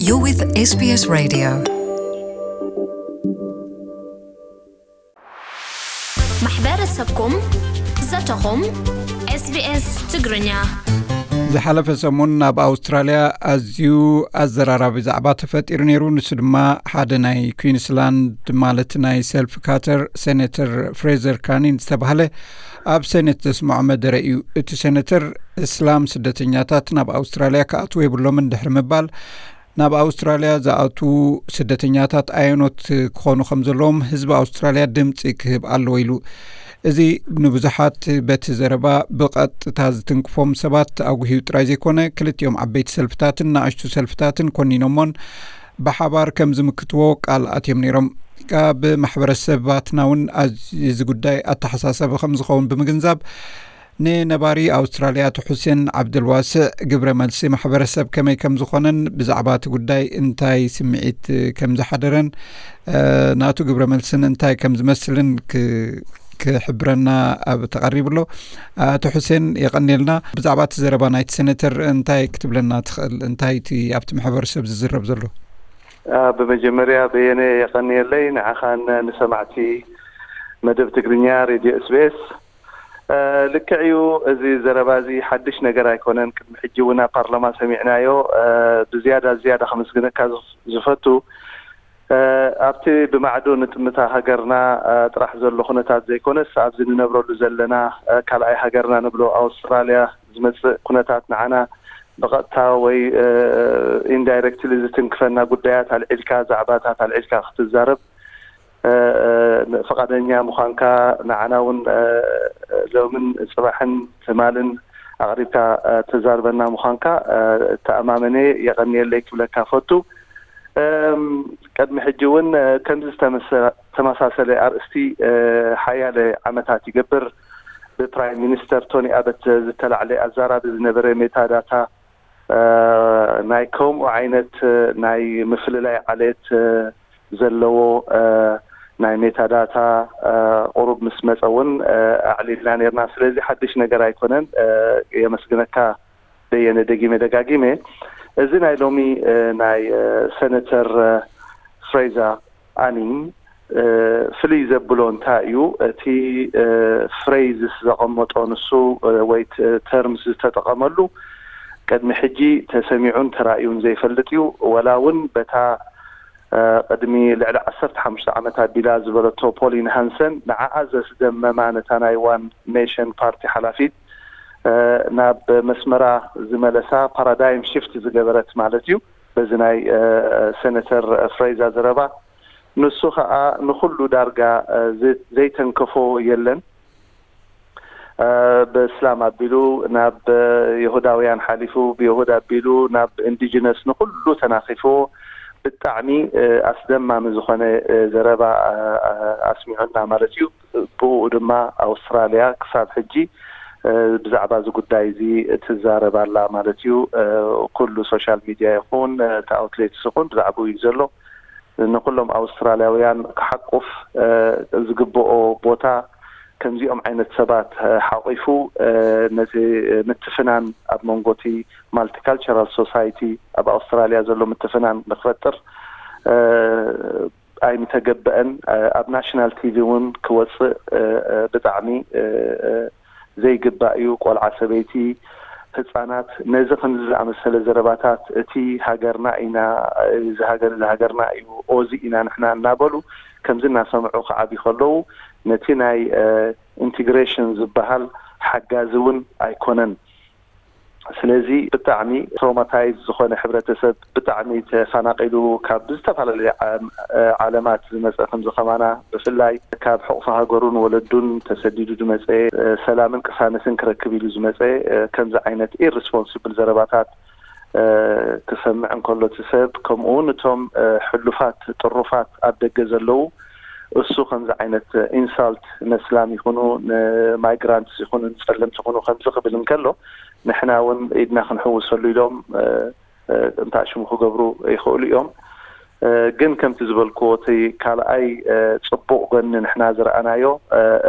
You're with S B S Radio. ማሕበረሰብኩም፣ ዘተኹም፣ SBS ትግርኛ። ዝሓለፈ ሰሙን ኣብ ኣውስትራልያ ኣዝዩ ኣዘራራቢ ዛዕባ ተፈጢሩ ነይሩ። ንሱ ድማ ሓደ ናይ ኩዊንስላንድ፣ ማለት ናይ ሰልፍ ካተር፣ ሴኔተር ፍሬዘር ካኒን ዝተባህለ ኣብ ሴኔት ዘስምዖ መደረ እዩ። እቲ ሴኔተር፣ እስላም ስደተኛታት ናብ ኣውስትራልያ ክኣትዉ የብሎምን ድሕሪ ምባል፣ ናብ ኣውስትራልያ ዝኣትዉ ስደተኛታት ኣየኖት ክኾኑ ከም ዘለዎም ህዝቢ ኣውስትራልያ ድምፂ ክህብ ኣለዎ ኢሉ። እዚ ንብዙሓት በቲ ዘረባ ብቐጥታ ዝትንክፎም ሰባት ኣጉህዩ ጥራይ ዘይኮነ፣ ክልቲኦም ዓበይቲ ሰልፍታትን ንኣሽቱ ሰልፍታትን ኮኒኖሞን ብሓባር ከም ዝምክትዎ ቃል ኣትዮም ነይሮም። ካብ ማሕበረሰባትና እውን ኣዝ- እዚ ጉዳይ ኣተሓሳሳቢ ከም ዝኸውን ብምግንዛብ፣ ንነባሪ ኣውስትራልያ ኣቶ ሑሴን ዓብደልዋስዕ ግብረ መልሲ ማሕበረሰብ ከመይ ከም ዝኾነን ብዛዕባ እቲ ጉዳይ እንታይ ስምዒት ከም ዝሓደረን፣ እ፣ ናቱ ግብረ መልስን እንታይ ከም ዝመስልን ክ- ክሕብረና ኣብ ተቐሪቡ ኣሎ። ኣቶ ሑሴን፣ የቐንየልና። ብዛዕባ እቲ ዘረባ ናይቲ ሴኔተር እንታይ ክትብለና ትኽእል? እንታይ እቲ ኣብቲ ማሕበረሰብ ዝዝረብ ዘሎ? አ፣ ብመጀመርያ በየነ የቐንየለይ፣ ንዓኻን ንሰማዕቲ መደብ ትግርኛ ሬድዮ SBS። እ፣ ልክዕ እዩ፣ እዚ ዘረባ እዚ ሓድሽ ነገር ኣይኮነን። ቅድሚ ሕጂ እውን ኣብ ፓርላማ ሰሚዕናዮ። እ፣ ብዝያዳ ዝያዳ ከመስግነካ ዝፍ- ዝፈቱ፣ እ፣ ኣብቲ ብማዕዶ ንጥምታ ሃገርና፣ እ፣ ጥራሕ ዘሎ ኩነታት ዘይኮነስ፣ ኣብዚ ንነብረሉ ዘለና፣ እ፣ ካልኣይ ሃገርና ንብሎ ኣውስትራልያ ዝመጽእ ኩነታት ንዓና ብቐጥታ ወይ፣ እ፣ ኢንዳይረክትሊ ዝትንክፈና ጉዳያት ኣልዒልካ፣ ዛዕባታት ኣልዒልካ ክትዛረብ፣ እ፣ እ፣ ፍቓደኛ ምዃንካ፣ ንዓና እውን፣ እ፣ ሎምን ጽባሕን ትማልን ኣቕሪብካ፣ እ፣ ተዛርበና ምዃንካ፣ እ፣ ተኣማመነ፣ የቐንየለይ ክብለካ ፈቱ። እም፣ ቅድሚ ሕጂ እውን፣ እ፣ ከምዚ ዝተመሰ- ተመሳሰለ ኣርእስቲ፣ እ፣ ሓያለ ዓመታት ይገብር ብፕራይም ሚኒስተር ቶኒ ኣበት ዝተላዕለ ኣዛራቢ ዝነበረ ሜታ ዳታ፣ እ፣ ናይ ከምኡ ዓይነት፣ እ፣ ናይ ምፍልላይ ዓሌት፣ እ፣ ዘለዎ፣ እ፣ ናይ ሜታ ዳታ፣ እ፣ ቁሩብ ምስ መጸ እውን፣ እ፣ ኣዕሊልና ነርና። ስለዚ ሓድሽ ነገር ኣይኮነን። እ፣ የመስግነካ በየነ፣ ደጊመ ደጋጊመ። እዚ ናይ ሎሚ፣ እ፣ ናይ፣ እ፣ ሴኔተር፣ እ፣ ፍሬዛ ኣኒን፣ እ፣ ፍልይ ዘብሎ እንታይ እዩ? እቲ፣ እ፣ ፍሬዝስ ዘቐመጦ ንሱ፣ እ፣ ወይ ተ- ተርምስ ዝተጠቐመሉ ቅድሚ ሕጂ ተሰሚዑን ተራእዩን ዘይፈልጥ እዩ። ወላ እውን በታ፣ እ፣ ቅድሚ ልዕሊ ዓሰርተ ሓሙሽተ ዓመት ኣቢላ ዝበለቶ ፖሊን ሃንሰን ንዓኣ ዘስደመማ፣ ነታ ናይ ዋን ኔሽን ፓርቲ ሓላፊት፣ እ፣ ናብ መስመራ ዝመለሳ፣ ፓራዳይም ሽፍት ዝገበረት ማለት እዩ። በዚ ናይ፣ እ፣ ሴኔተር ፍሬዛ ዘረባ፣ ንሱ ኸኣ ንኹሉ ዳርጋ፣ እ፣ ዘ- ዘይተንከፎ የለን። እ፣ ብእስላም ኣቢሉ ናብ፣ እ፣ ይሁዳውያን ሓሊፉ፣ ብይሁድ ኣቢሉ ናብ ኢንዲጅነስ ንኹሉ ተናኺፍዎ፣ ብጣዕሚ፣ እ፣ ኣስደማሚ ዝኾነ፣ እ፣ ዘረባ፣ እ፣ እ፣ ኣስሚዑና ማለት እዩ። ብኡ ድማ ኣውስትራልያ ክሳብ ሕጂ፣ እ፣ ብዛዕባ እዚ ጉዳይ እዚ ትዛረብ ኣላ ማለት እዩ። እ፣ ኩሉ ሶሻል ሚድያ ይኹን፣ እ፣ እቲ ኣውትሌትስ ይኹን ብዛዕባኡ እዩ ዘሎ። ንኩሎም ኣውስትራልያውያን ክሓቁፍ፣ እ፣ ዝግብኦ ቦታ፣ ከምዚኦም ዓይነት ሰባት፣ እ፣ ሓቂፉ፣ እ፣ ነቲ ምትፍናን ኣብ መንጎ እቲ ማልቲካልቸራል ሶሳይቲ ኣብ ኣውስትራልያ ዘሎ ምትፍናን ንክፈጥር፣ እ፣ ኣይምተገበአን። እ፣ ኣብ ናሽናል ቲቪ እውን ክወፅእ፣ እ፣ እ፣ ብጣዕሚ፣ እ፣ እ፣ ዘይግባእ እዩ። ቆልዓ፣ ሰበይቲ፣ ህፃናት ነዚ ከምዚ ዝኣመሰለ ዘረባታት፣ እቲ ሃገርና ኢና፣ እዚ ሃገር እዚ ሃገርና እዩ፣ ኦዚ ኢና ንሕና እናበሉ ከምዚ እናሰምዑ ክዓብዩ ከለዉ፣ ነቲ ናይ፣ እ፣ ኢንቲግሬሽን ዝበሃል ሓጋዚ እውን ኣይኮነን። ስለዚ ብጣዕሚ ትሮማታይዝ ዝኾነ ሕብረተሰብ፣ ብጣዕሚ ተፈናቒሉ ካብ ዝተፈላለዩ ዓ- ዓለማት ዝመፀ፣ ከምዚ ከማና ብፍላይ ካብ ሕቑፊ ሃገሩን ወለዱን ተሰዲዱ ዝመፀ፣ ሰላምን ቅሳነትን ክረክብ ኢሉ ዝመፀ፣ ከምዚ ዓይነት ኢሪስፖንስብል ዘረባታት ክሰምዕ እንከሎ፣ እቲ ሰብ፣ ከምኡ እውን እቶም ሕሉፋት ጥሩፋት ኣብ ደገ ዘለዉ፣ እሱ ከምዚ ዓይነት ኢንሳልት ነስላም ይኹኑ፣ ንማይግራንትስ ይኹኑ፣ ንፀለምቲ ይኹኑ ከምዚ ክብል እንከሎ፣ ንሕና እውን ኢድና ክንሕውሰሉ ኢሎም እንታሽሙ ክገብሩ ይኽእሉ እዮም። ግን ከምቲ ዝበልክዎ፣ እቲ ካልኣይ ፅቡቕ ጎኒ ንሕና ዝረኣናዮ፣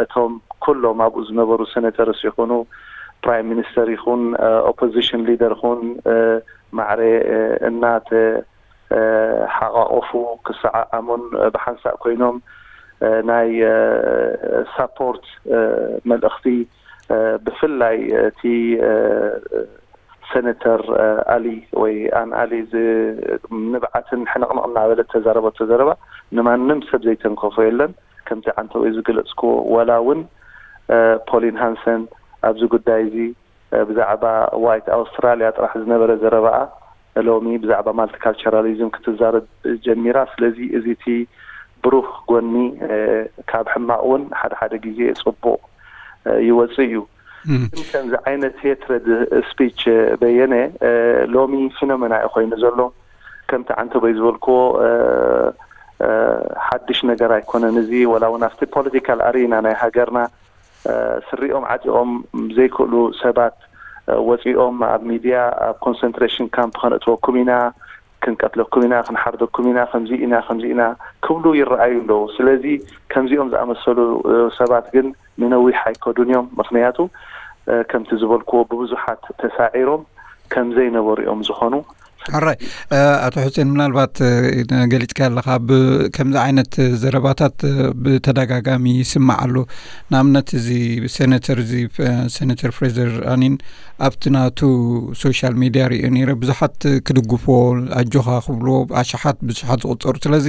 እቶም ኩሎም ኣብኡ ዝነበሩ ሴኔተርስ ይኹኑ፣ ፕራይም ሚኒስተር ይኹን፣ ኦፖዚሽን ሊደር ይኹን፣ ማዕረ እናተ ሓቋቆፉ ክሰዓዓሙን ብሓንሳእ ኮይኖም ናይ ሳፖርት መልእኽቲ ብፍላይ እቲ ሰነተር ኣሊ ወይ ኣን ኣሊ ንብዓትን ሕንቕንቕ እናበለ ተዛረበቶ ዘረባ ንማንም ሰብ ዘይተንከፎ የለን። ከምቲ ዓንተወይ ዝገለፅኩዎ፣ ወላ እውን ፖሊን ሃንሰን ኣብዚ ጉዳይ እዚ ብዛዕባ ዋይት ኣውስትራሊያ ጥራሕ ዝነበረ ዘረባኣ ሎሚ ብዛዕባ ማልቲካልቸራሊዝም ክትዛረብ ጀሚራ። ስለዚ እዚ እቲ ብሩህ ጎኒ ካብ ሕማቕ እውን ሓደ ሓደ ግዜ ፅቡቕ ይወፅእ እዩ። ግን ከምዚ ዓይነት ሄትረድ ስፒች በየነ ሎሚ ፊኖመና እዩ ኮይኑ ዘሎ። ከምቲ ዓንተቦይ ዝበልክዎ ሓድሽ ነገር ኣይኮነን። እዚ ወላ እውን ኣብቲ ፖለቲካል ኣሪና ናይ ሃገርና ስሪኦም ዓጢቖም ዘይክእሉ ሰባት ወፂኦም ኣብ ሚድያ ኣብ ኮንሰንትሬሽን ካምፕ ከነእትወኩም ኢና፣ ክንቀትለኩም ኢና፣ ክንሓርደኩም ኢና፣ ከምዚ ኢና ከምዚ ኢና ክብሉ ይረኣዩ ኣለዉ። ስለዚ ከምዚኦም ዝኣመሰሉ ሰባት ግን ንነዊሕ ኣይከዱን እዮም። ምክንያቱ ከምቲ ዝበልክዎ ብብዙሓት ተሳዒሮም ከም ዘይነበሩ እዮም ዝኾኑ። ሕራይ። ኣቶ ሕሴን፣ ምናልባት ገሊፅካ ኣለካ፣ ከምዚ ዓይነት ዘረባታት ብተደጋጋሚ ይስማዕ ኣሎ። ንኣብነት እዚ ሴነተር እዚ ሴነተር ፍሬዘር ኣኒን ኣብቲ ናቱ ሶሻል ሚድያ ሪኦ ነይረ፣ ብዙሓት ክድግፍዎ ኣጆኻ ክብልዎ ኣሽሓት ብሽሓት ዝቁፀሩ። ስለዚ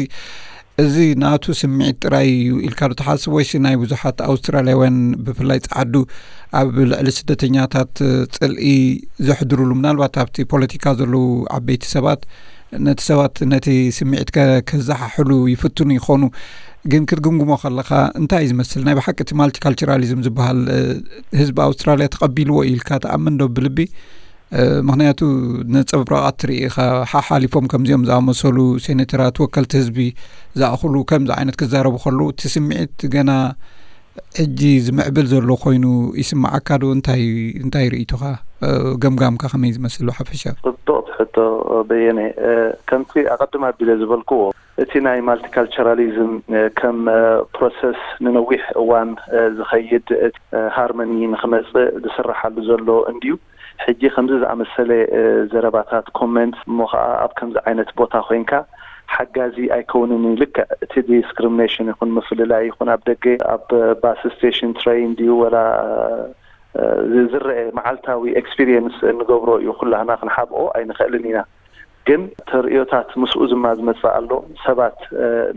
እዚ ናቱ ስምዒት ጥራይ እዩ ኢልካ ዶ ትሓስብ፣ ወይስ ናይ ብዙሓት ኣውስትራልያውያን ብፍላይ ጸዓዱ ኣብ ልዕሊ ስደተኛታት ጽልኢ ዘሕድሩሉ፣ ምናልባት ኣብቲ ፖለቲካ ዘለዉ ዓበይቲ ሰባት ነቲ ሰባት ነቲ ስምዒት ከ- ከዘሓሕሉ ይፍትኑ ይኾኑ? ግን ክትግምግሞ ከለኻ እንታይ እዩ ዝመስል? ናይ ብሓቂ እቲ ማልቲካልቸራሊዝም ዝበሃል ህዝቢ ኣውስትራልያ ተቐቢልዎ ኢልካ ትኣምን ዶ ብልቢ? ምክንያቱ ነጸብራቓት ትርኢ ኢኻ፣ ሓሓሊፎም ከምዚኦም ዝኣመሰሉ ሴኔተራት፣ ወከልቲ ህዝቢ ዝኣኽሉ ከምዚ ዓይነት ክዛረቡ ከለዉ እቲ ስምዒት ገና ሕጂ ዝምዕብል ዘሎ ኮይኑ ይስምዓካ ዶ? እንታይ እንታይ ርእይቶኻ፣ ገምጋምካ ከመይ ዝመስል ብሓፈሻ? ጽብቕቲ ሕቶ በየነ። ከምቲ ኣቐድም ኣቢለ ዝበልክዎ፣ እቲ ናይ ማልቲካልቸራሊዝም ከም ፕሮሰስ ንነዊሕ እዋን ዝኸይድ ሃርመኒ ንክመጽእ ዝስራሓሉ ዘሎ እንድዩ። ሕጂ ከምዚ ዝኣመሰለ ዘረባታት፣ ኮመንት፣ እሞ ኸዓ ኣብ ከምዚ ዓይነት ቦታ ኮይንካ ሓጋዚ ኣይከውንን እዩ። ልክዕ እቲ ዲስክሪሚኔሽን ይኹን ምፍልላይ ይኹን ኣብ ደገ ኣብ ባስ ስቴሽን፣ ትሬን ድዩ ወላ ዝረአ መዓልታዊ ኤክስፒሪየንስ እንገብሮ እዩ። ኩላህና ክንሓብኦ ኣይንኽእልን ኢና። ግን ተርእዮታት ምስኡ ዝማ ዝመጽእ ኣሎ። ሰባት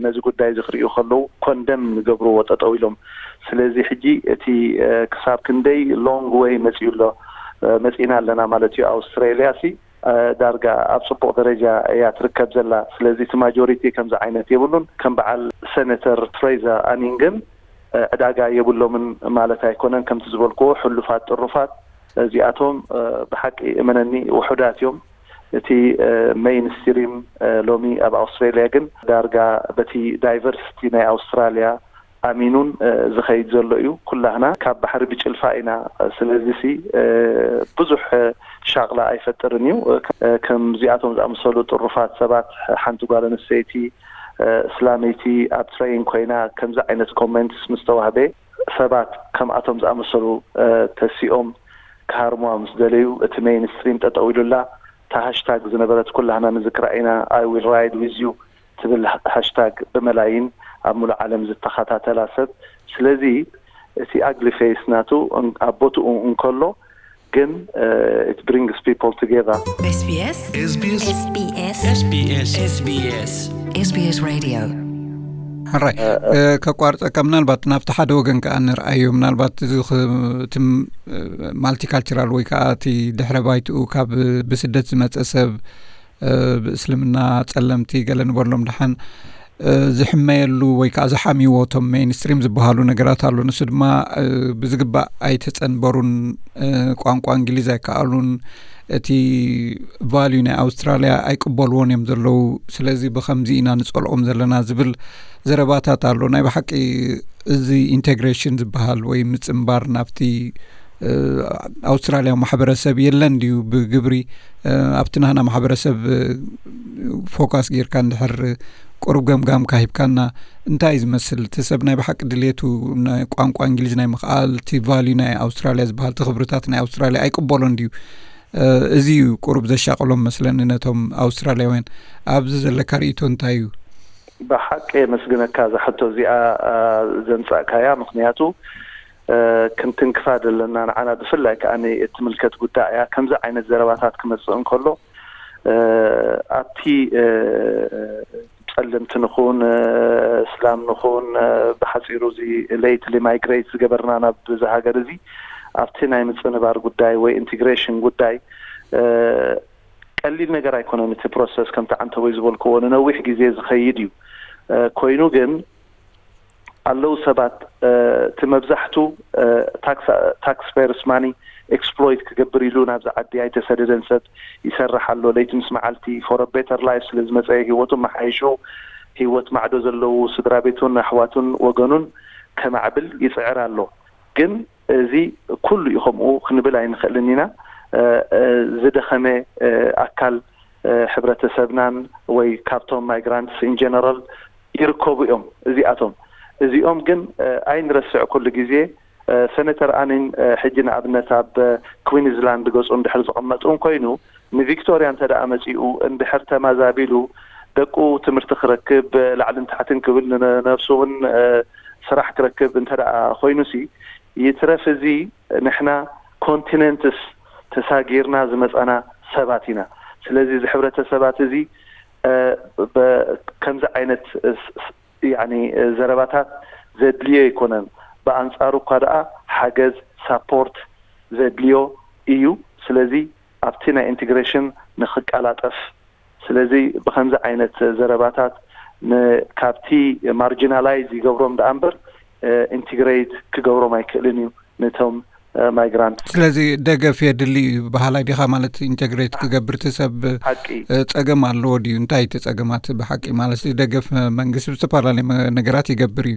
ነዚ ጉዳይ እዚ ክርእዩ ከለዉ ኮንደም ንገብርዎ ጠጠው ኢሎም። ስለዚ ሕጂ እቲ ክሳብ ክንደይ ሎንግ ወይ መጺኡ ኣሎ፣ መጺና ኣለና ማለት እዩ። ኣውስትራሊያ ሲ ዳርጋ ኣብ ጽቡቕ ደረጃ እያ ትርከብ ዘላ። ስለዚ እቲ ማጆሪቲ ከምዚ ዓይነት የብሉን። ከም በዓል ሴኔተር ፍሬዘር ኣኒን ግን ዕዳጋ የብሎምን ማለት ኣይኮነን። ከምቲ ዝበልክዎ ሕሉፋት ጥሩፋት እዚኣቶም ብሓቂ እመነኒ ውሑዳት እዮም። እቲ ሜይንስትሪም ሎሚ ኣብ ኣውስትራሊያ ግን ዳርጋ በቲ ዳይቨርሲቲ ናይ ኣውስትራሊያ ኣሚኑን ዝኸይድ ዘሎ እዩ። ኩላህና ካብ ባሕሪ ብጭልፋ ኢና። ስለዚ ሲ ብዙሕ ሻቕላ ኣይፈጥርን እዩ። ከምዚኣቶም ዝኣመሰሉ ጥሩፋት ሰባት፣ ሓንቲ ጓል ኣንስተይቲ እስላመይቲ ኣብ ትሬን ኮይና ከምዚ ዓይነት ኮመንትስ ምስ ተዋህበ፣ ሰባት ከምኣቶም ዝኣመሰሉ ተሲኦም ክሃርሙዋ ምስ ደለዩ፣ እቲ ሜይንስትሪም ጠጠው ኢሉላ። እታ ሃሽታግ ዝነበረት ኩላህና ንዝክራ ኢና፣ I will ride with you ትብል ሃሽታግ ብመላይን ኣብ ሙሉእ ዓለም ዝተኸታተላ ሰብ። ስለዚ እቲ ኣግሊ ፌስ ናቱ ኣብ ቦትኡ እንከሎ ግን it brings people together። SBS SBS SBS SBS SBS Radio። ሕራይ፣ ከቋርፀካ፣ ምናልባት ናብቲ ሓደ ወገን ከዓ ንርኣዮ። ምናልባት እዚ ማልቲካልቸራል ወይ ከዓ እቲ ድሕረ ባይትኡ ካብ ብስደት ዝመፀ ሰብ፣ ብእስልምና፣ ጸለምቲ፣ ገለ ንበሎም ደሓን ዝሕመየሉ ወይ ከዓ ዝሓምይዎ እቶም ሜይንስትሪም ዝበሃሉ ነገራት ኣሎ። ንሱ ድማ ብዝግባእ ኣይተጸንበሩን፣ ቋንቋ እንግሊዝ ኣይከኣሉን፣ እቲ ቫልዩ ናይ ኣውስትራልያ ኣይቅበልዎን እዮም ዘለዉ። ስለዚ ብኸምዚ ኢና ንጸልኦም ዘለና ዝብል ዘረባታት ኣሎ። ናይ ብሓቂ እዚ ኢንቴግሬሽን ዝበሃል ወይ ምጽንባር ናብቲ ኣውስትራልያዊ ማሕበረሰብ የለን ድዩ? ብግብሪ ኣብቲ ናህና ማሕበረሰብ ፎካስ ጌርካ እንድሕር ቁሩብ ገምጋምካ ሂብካና፣ እንታይ እዩ ዝመስል? እቲ ሰብ ናይ ብሓቂ ድሌቱ ቋንቋ እንግሊዝ ናይ ምኽኣል፣ እቲ ቫልዩ ናይ ኣውስትራልያ ዝበሃል፣ እቲ ክብርታት ናይ ኣውስትራልያ ኣይቅበሎን ድዩ? እዚ እዩ ቁሩብ ዘሻቕሎም መስለኒ ነቶም ኣውስትራልያውያን። ኣብዚ ዘለካ ርእይቶ እንታይ እዩ? ብሓቂ የመስግነካ እዛ ሕቶ እዚኣ ዘምጻእካያ። ምኽንያቱ ክንትንክፋ ዘለና ንዓና ብፍላይ ከኣ እትምልከት ጉዳይ እያ። ከምዚ ዓይነት ዘረባታት ክመጽእ እንከሎ ኣብቲ ጸለምቲ ንኹን እስላም ንኹን ብሓጺሩ እዚ ሌትሊ ማይግሬት ዝገበርና ናብ እዚ ሃገር እዚ ኣብቲ ናይ ምጽንባር ጉዳይ ወይ ኢንቲግሬሽን ጉዳይ ቀሊል ነገር ኣይኮነን። እቲ ፕሮሰስ ከምቲ ዓንተቦይ ዝበልክዎ ንነዊሕ ግዜ ዝኸይድ እዩ። ኮይኑ ግን ኣለዉ ሰባት እቲ መብዛሕቱ ታክስ ፔየርስ ማኒ ኤክስፕሎይት ክገብር ኢሉ ናብዚ ዓዲ ኣይተሰደደን። ሰብ ይሰርሕ ኣሎ ለይቲ ምስ መዓልቲ for a better life ስለ ዝመፀ ህይወቱ መሓይሹ ህይወት ማዕዶ ዘለዉ ስድራ ቤቱን ኣሕዋቱን ወገኑን ከማዕብል ይፅዕር ኣሎ። ግን እዚ ኩሉ እዩ ከምኡ ክንብል ኣይንኽእልን ኢና። ዝደኸመ ኣካል ሕብረተሰብናን ወይ ካብቶም ማይግራንትስ ኢን ጀነራል ይርከቡ እዮም። እዚኣቶም እዚኦም ግን ኣይንረስዕ ኩሉ ግዜ። ሰነተር ኣኒን ሕጂ ንኣብነት ኣብ ኩዊንስላንድ ገፁ እንድሕር ዝቕመጥ እውን ኮይኑ ንቪክቶርያ እንተ ደኣ መፂኡ እንድሕር ተማዛቢሉ ደቁ ትምህርቲ ክረክብ ላዕልን ታሕትን ክብል ንነብሱ እውን ስራሕ ክረክብ እንተ ደኣ ኮይኑሲ ይትረፍ እዚ ንሕና ኮንቲነንትስ ተሳጊርና ዝመፃና ሰባት ኢና። ስለዚ እዚ ሕብረተሰባት እዚ ከምዚ ዓይነት ዘረባታት ዘድልዮ ኣይኮነን። ብኣንፃሩ እኳ ደኣ ሓገዝ ሳፖርት ዘድልዮ እዩ። ስለዚ ኣብቲ ናይ ኢንቴግሬሽን ንክቀላጠፍ ስለዚ ብከምዚ ዓይነት ዘረባታት ካብቲ ማርጂናላይዝ ይገብሮም ደኣ እምበር ኢንቲግሬት ክገብሮም ኣይክእልን እዩ ነቶም ማይግራንት። ስለዚ ደገፍ የድሊ እዩ በሃላይ ዲኻ? ማለት ኢንቴግሬት ክገብር እቲ ሰብ ሓቂ ጸገም ኣለዎ ድዩ? እንታይ እቲ ጸገማት ብሓቂ? ማለት ደገፍ መንግስቲ ብዝተፈላለየ ነገራት ይገብር እዩ።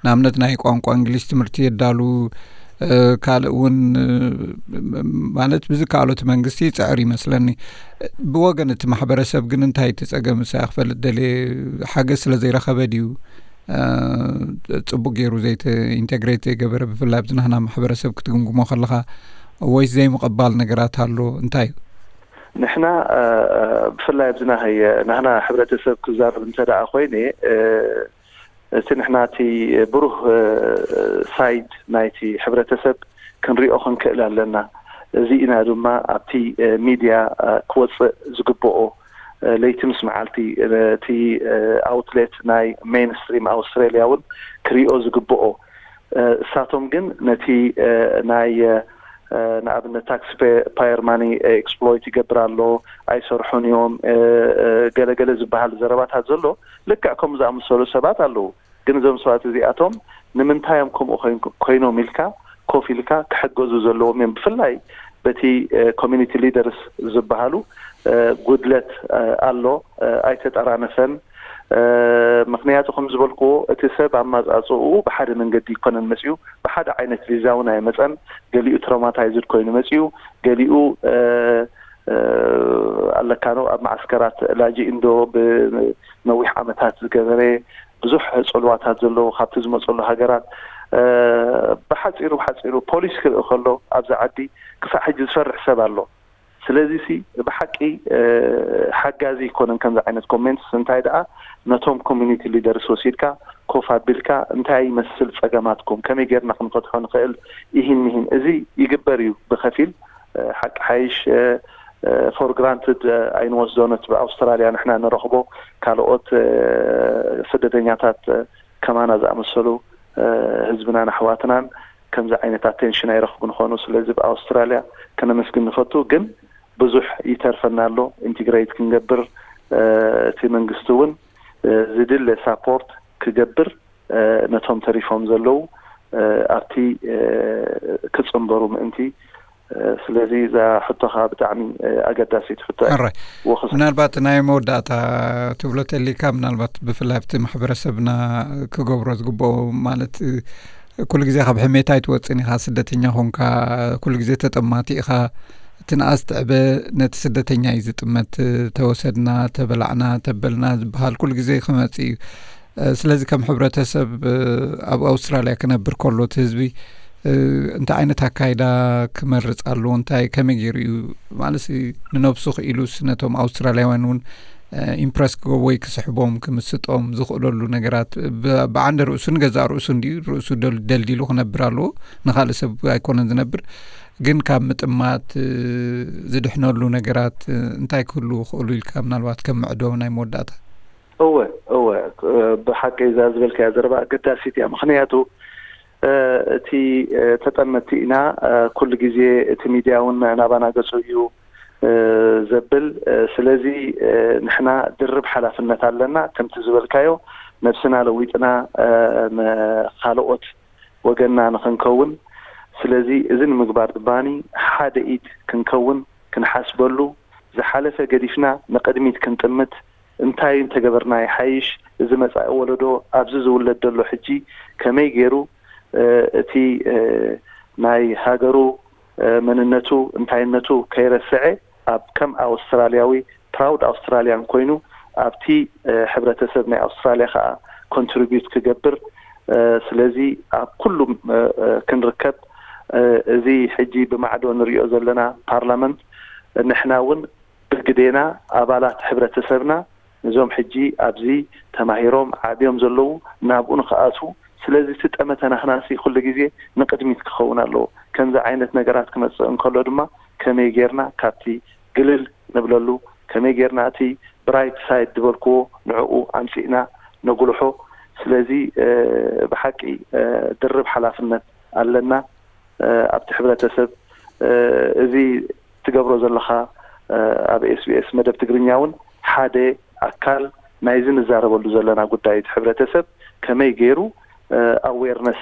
ንኣብነት ናይ ቋንቋ እንግሊሽ ትምህርቲ የዳሉ ካልእ እውን ማለት ብዝከኣሎ እቲ መንግስቲ ይፅዕር ይመስለኒ። ብወገን እቲ ማሕበረሰብ ግን እንታይ እቲ ፀገም ንሳ ክፈልጥ ደልየ ሓገዝ ስለ ዘይረኸበ ድዩ ፅቡቅ ገይሩ ዘይተ ኢንቴግሬት ዘይገበረ ብፍላይ ኣብዚ ናህና ማሕበረሰብ ክትግምግሞ ከለካ ወይስ ዘይምቕባል ነገራት ኣሎ እንታይ እዩ? ንሕና ብፍላይ ኣብዚ ናህየ ናህና ሕብረተሰብ ክዛረብ እንተ ደኣ ኮይነ እቲ ንሕና እቲ ብሩህ ሳይድ ናይቲ ሕብረተሰብ ክንሪኦ ክንክእል ኣለና። እዚ ኢና ድማ ኣብቲ ሚድያ ክወፅእ ዝግብኦ ለይቲ ምስ መዓልቲ እቲ ኣውትሌት ናይ ሜንስትሪም ኣውስትራሊያ እውን ክሪኦ ዝግብኦ። እሳቶም ግን ነቲ ናይ ንኣብነት ታክስ ፓየር ማኒ ኤክስፕሎይት ይገብር ኣሎ ኣይሰርሑን እዮም ገለገለ ዝበሃል ዘረባታት ዘሎ ልክዕ ከምኡ ዝኣመሰሉ ሰባት ኣለዉ። ግን እዞም ሰባት እዚኣቶም ንምንታይ እዮም ከምኡ ኮይኖም ኢልካ ኮፍ ኢልካ ክሕገዙ ዘለዎም እዮም። ብፍላይ በቲ ኮሚኒቲ ሊደርስ ዝበሃሉ ጉድለት ኣሎ፣ ኣይተጠራነፈን። ምክንያቱ ከም ዝበልክዎ እቲ ሰብ ኣማፃፅኡ ብሓደ መንገዲ ይኮነን መፅኡ፣ ብሓደ ዓይነት ቪዛ እውን ኣይመፀን። ገሊኡ ትሮማታይዝድ ኮይኑ መፅኡ፣ ገሊኡ ኣለካ ነው ኣብ ማዓስከራት ላጂ እንዶ ብነዊሕ ዓመታት ዝገበረ ብዙሕ ፅልዋታት ዘለዎ ካብቲ ዝመፀሉ ሃገራት ብሓፂሩ ብሓፂሩ ፖሊስ ክርኢ ከሎ ኣብዚ ዓዲ ክሳዕ ሕጂ ዝፈርሕ ሰብ ኣሎ። ስለዚ ሲ ብሓቂ ሓጋዚ ይኮነን ከምዚ ዓይነት ኮሜንትስ። እንታይ ደኣ ነቶም ኮሚኒቲ ሊደርስ ወሲድካ ኮፍ ኣቢልካ እንታይ ይመስል ፀገማትኩም ከመይ ጌርና ክንፈትሖ ንኽእል ይህን ምሂን እዚ ይግበር እዩ ብከፊል ሓቂ ሓይሽ ፎር ግራንትድ ኣይንወስዶ። ነቲ ብኣውስትራልያ ንሕና ንረኽቦ ካልኦት ስደተኛታት ከማና ዝኣመሰሉ ህዝብናን ኣሕዋትናን ከምዚ ዓይነት ኣቴንሽን ኣይረኽቡን ይኾኑ። ስለዚ ብኣውስትራልያ ከነመስግን ንፈቱ። ግን ብዙሕ ይተርፈና ኣሎ ኢንቲግሬት ክንገብር። እቲ መንግስቲ እውን ዝድለ ሳፖርት ክገብር ነቶም ተሪፎም ዘለዉ ኣብቲ ክፅንበሩ ምእንቲ። ስለዚ እዛ ሕቶኻ ብጣዕሚ ኣገዳሲት ሕቶ እያ። ሕራይ። ወክስ- ምናልባት ናይ መወዳእታ ትብሎ ተሊካ ምናልባት ብፍላይ ኣብቲ ማሕበረሰብና ክገብሮ ዝግብኦ ማለት ኩሉ ግዜ ካብ ሕሜታ ኣይትወፅን ኢኻ። ስደተኛ ኮንካ ኩሉ ግዜ ተጠማቲ ኢኻ። እቲ ንኣስ ትዕበ ነቲ ስደተኛ እዩ ዝጥመት። ተወሰድና፣ ተበላዕና፣ ተበልና ዝበሃል ኩሉ ግዜ ክመፅእ እዩ። ስለዚ ከም ሕብረተሰብ ኣብ ኣውስትራልያ ክነብር ከሎ እቲ ህዝቢ እንታይ ዓይነት ኣካይዳ ክመርጽ ኣለዎ? እንታይ ከመይ ገይሩ እዩ ማለት ንነብሱ ክኢሉስ ነቶም ኣውስትራልያውያን እውን ኢምፕረስ ክገብር ወይ ክስሕቦም ክምስጦም ዝኽእለሉ ነገራት ብዓንደ ርእሱ ንገዛእ ርእሱ እንዲዩ ርእሱ ደልዲሉ ክነብር ኣለዎ። ንኻልእ ሰብ ኣይኮነን ዝነብር። ግን ካብ ምጥማት ዝድሕነሉ ነገራት እንታይ ክህሉ ክእሉ ኢልካ ምናልባት ከም ምዕዶ ናይ መወዳእታ? እወ፣ እወ፣ ብሓቂ እዛ ዝበልካያ ዘረባ ኣገዳሲት እያ። ምኽንያቱ እቲ ተጠመቲ ኢና፣ ኩሉ ግዜ እቲ ሚድያ እውን ናባና ገጹ እዩ ዘብል። ስለዚ ንሕና ድርብ ሓላፍነት ኣለና። ከምቲ ዝበልካዮ ነብስና ለዊጥና ንኻልኦት ወገንና ንኽንከውን። ስለዚ እዚ ንምግባር ድማኒ ሓደ ኢድ ክንከውን፣ ክንሓስበሉ፣ ዝሓለፈ ገዲፍና ንቕድሚት ክንጥምት፣ እንታይ እንተገበርና ይሓይሽ፣ እዚ መጻኢ ወለዶ ኣብዚ ዝውለድ ዘሎ ሕጂ ከመይ ገይሩ እቲ ናይ ሃገሩ መንነቱ እንታይነቱ ከይረስዐ ኣብ ከም ኣውስትራልያዊ ፕራውድ ኣውስትራልያን ኮይኑ ኣብቲ ሕብረተሰብ ናይ ኣውስትራልያ ከዓ ኮንትሪቢዩት ክገብር። ስለዚ ኣብ ኩሉ ክንርከብ፣ እዚ ሕጂ ብማዕዶ ንሪኦ ዘለና ፓርላመንት ንሕና እውን ብግዴና ኣባላት ሕብረተሰብና ነዞም ሕጂ ኣብዚ ተማሂሮም ዓብዮም ዘለዉ ናብኡ ንክኣትዉ። ስለዚ እቲ ጠመተ ናህናሲ ኩሉ ግዜ ንቕድሚት ክኸውን ኣለዎ። ከምዚ ዓይነት ነገራት ክመፅእ እንከሎ ድማ ከመይ ጌርና ካብቲ ግልል ንብለሉ፣ ከመይ ጌርና እቲ ብራይት ሳይድ ዝበልክዎ ንዕኡ ኣምፂእና ነጉልሖ። ስለዚ ብሓቂ ድርብ ሓላፍነት ኣለና ኣብቲ ሕብረተሰብ። እዚ ትገብሮ ዘለኻ ኣብ ኤስቢኤስ መደብ ትግርኛ እውን ሓደ ኣካል ናይዚ ንዛረበሉ ዘለና ጉዳይ እቲ ሕብረተሰብ ከመይ ገይሩ ኣዌርነስ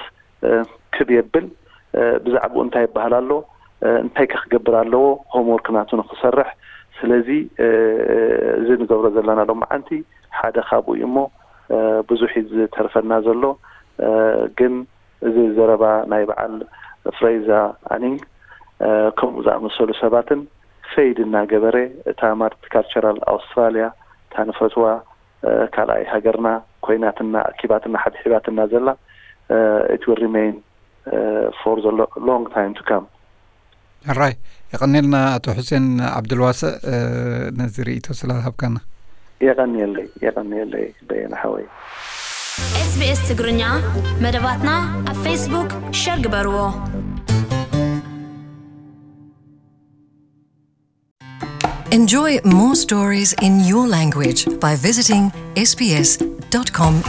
ክብ የብል፣ ብዛዕባኡ እንታይ ይበሃል ኣሎ፣ እንታይ ከ ክገብር ኣለዎ፣ ሆምወርክ ናቱ ንክሰርሕ። ስለዚ እዚ ንገብሮ ዘለና ሎማዓንቲ ሓደ ካብኡ እዩ እሞ ብዙሕ እዩ ዝተርፈና ዘሎ። ግን እዚ ዘረባ ናይ በዓል ፍሬዛ ኣኒንግ ከምኡ ዝኣመሰሉ ሰባትን ፈይድ እናገበረ እታ ማልቲካልቸራል ኣውስትራልያ እታ ንፈትዋ ካልኣይ ሃገርና ኮይናትና ኣኪባትና ሓብሒባትና ዘላ it will remain for the long time to come. ሕራይ፣ የቐኔልና ኣቶ ሑሴን ዓብዱልዋስእ ነዚ ርእይቶ ስለዝሃብካና። የቐንየለይ፣ የቐንየለይ በየነ ሓወይ። SBS ትግርኛ መደባትና ኣብ ፌስቡክ ሸር ግበርዎ። Enjoy more stories in your language by visiting sbs.com.au.